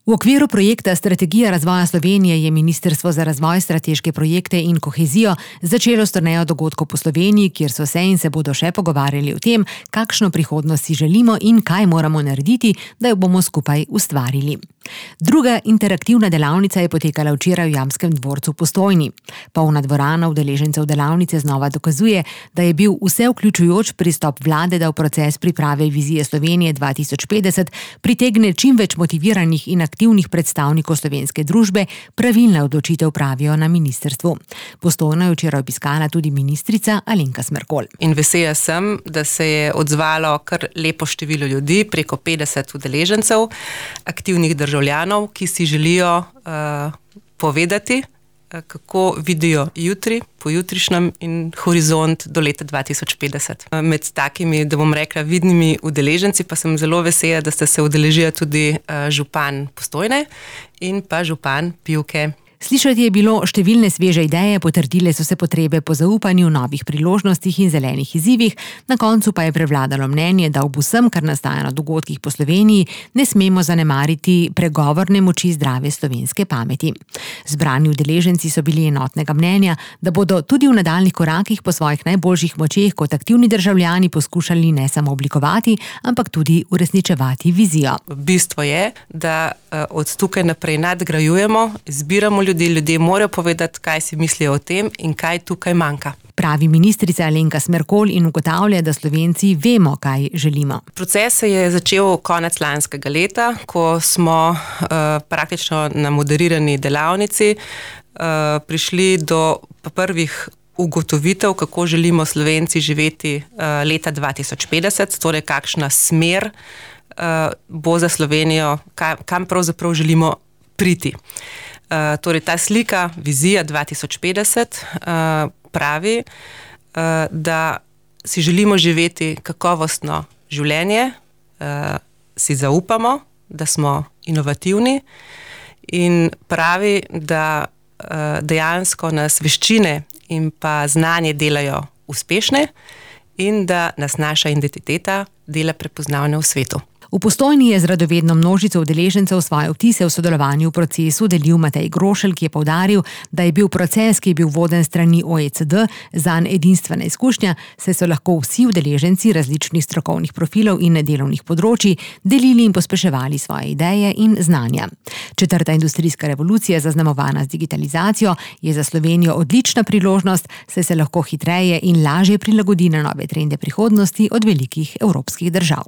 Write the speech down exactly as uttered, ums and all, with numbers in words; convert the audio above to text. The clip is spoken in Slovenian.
V okviru projekta Strategija razvoja Slovenije je Ministrstvo za razvoj, strateške projekte in kohezijo začelo s turnejo dogodkov po Sloveniji, kjer so se in se bodo še pogovarjali o tem, kakšno prihodnost si želimo in kaj moramo narediti, da jo bomo skupaj ustvarili. Druga interaktivna delavnica je potekala včeraj v Jamskem dvorcu v Postojni. Polna dvorana udeležencev delavnice znova dokazuje, da je bil vse vključujoč pristop vlade, da v proces priprave vizije Slovenije dva tisoč petdeset pritegne čim več motiviranih in aktivnih predstavnikov slovenske družbe, pravilna odločitev, pravijo na ministrstvu. Postojno je včeraj obiskala tudi ministrica Alenka Smrekol. In vesela sem, da se je odzvalo kar lepo število ljudi, preko petdeset udeležencev, aktivnih državljanov, ki si želijo uh, povedati, uh, kako vidijo jutri, pojutrišnjem in horizont do leta dva tisoč petdeset. Uh, med takimi, da bom rekla, vidnimi udeleženci pa sem zelo vesela, da sta se udeležila tudi uh, župan Postojne in pa župan Pivke. Slišati je bilo številne sveže ideje, potrdile so se potrebe po zaupanju, novih priložnostih in zelenih izzivih, na koncu pa je prevladalo mnenje, da ob vsem, kar nastaja na dogodkih po Sloveniji, ne smemo zanemariti pregovorne moči zdrave slovenske pameti. Zbrani udeleženci so bili enotnega mnenja, da bodo tudi v nadaljnjih korakih po svojih najboljših močeh kot aktivni državljani poskušali ne samo oblikovati, ampak tudi uresničevati vizijo. Bistvo je, da od tukaj naprej nadgrajujemo, zbiramo ljudi, ljudje morajo povedati, kaj si mislijo o tem in kaj tukaj manjka. Pravi ministrica Alenka Smrekol in ugotavlja, da Slovenci vemo, kaj želimo. Proces se je začel konec lanskega leta, ko smo uh, praktično na moderirani delavnici uh, prišli do prvih ugotovitev, kako želimo Slovenci živeti uh, leta dva tisoč petdeset, torej kakšna smer uh, bo za Slovenijo, kam, kam pravzaprav želimo priti. Uh, torej ta slika, vizija dva tisoč petdeset uh, pravi, uh, da si želimo živeti kakovostno življenje, uh, si zaupamo, da smo inovativni in pravi, da uh, dejansko nas veščine in pa znanje delajo uspešne in da nas naša identiteta dela prepoznavne v svetu. V Postojni je z radovedno množico udeležencev svoje vtise v sodelovanju v procesu delil Matej Grošelj, ki je poudaril, da je bil proces, ki je bil voden strani O E C D, zanj edinstvena izkušnja, saj so lahko vsi udeleženci različnih strokovnih profilov in delovnih področij delili in pospeševali svoje ideje in znanja. Četrta industrijska revolucija, zaznamovana z digitalizacijo, je za Slovenijo odlična priložnost, saj se lahko hitreje in lažje prilagodi na nove trende prihodnosti od velikih evropskih držav.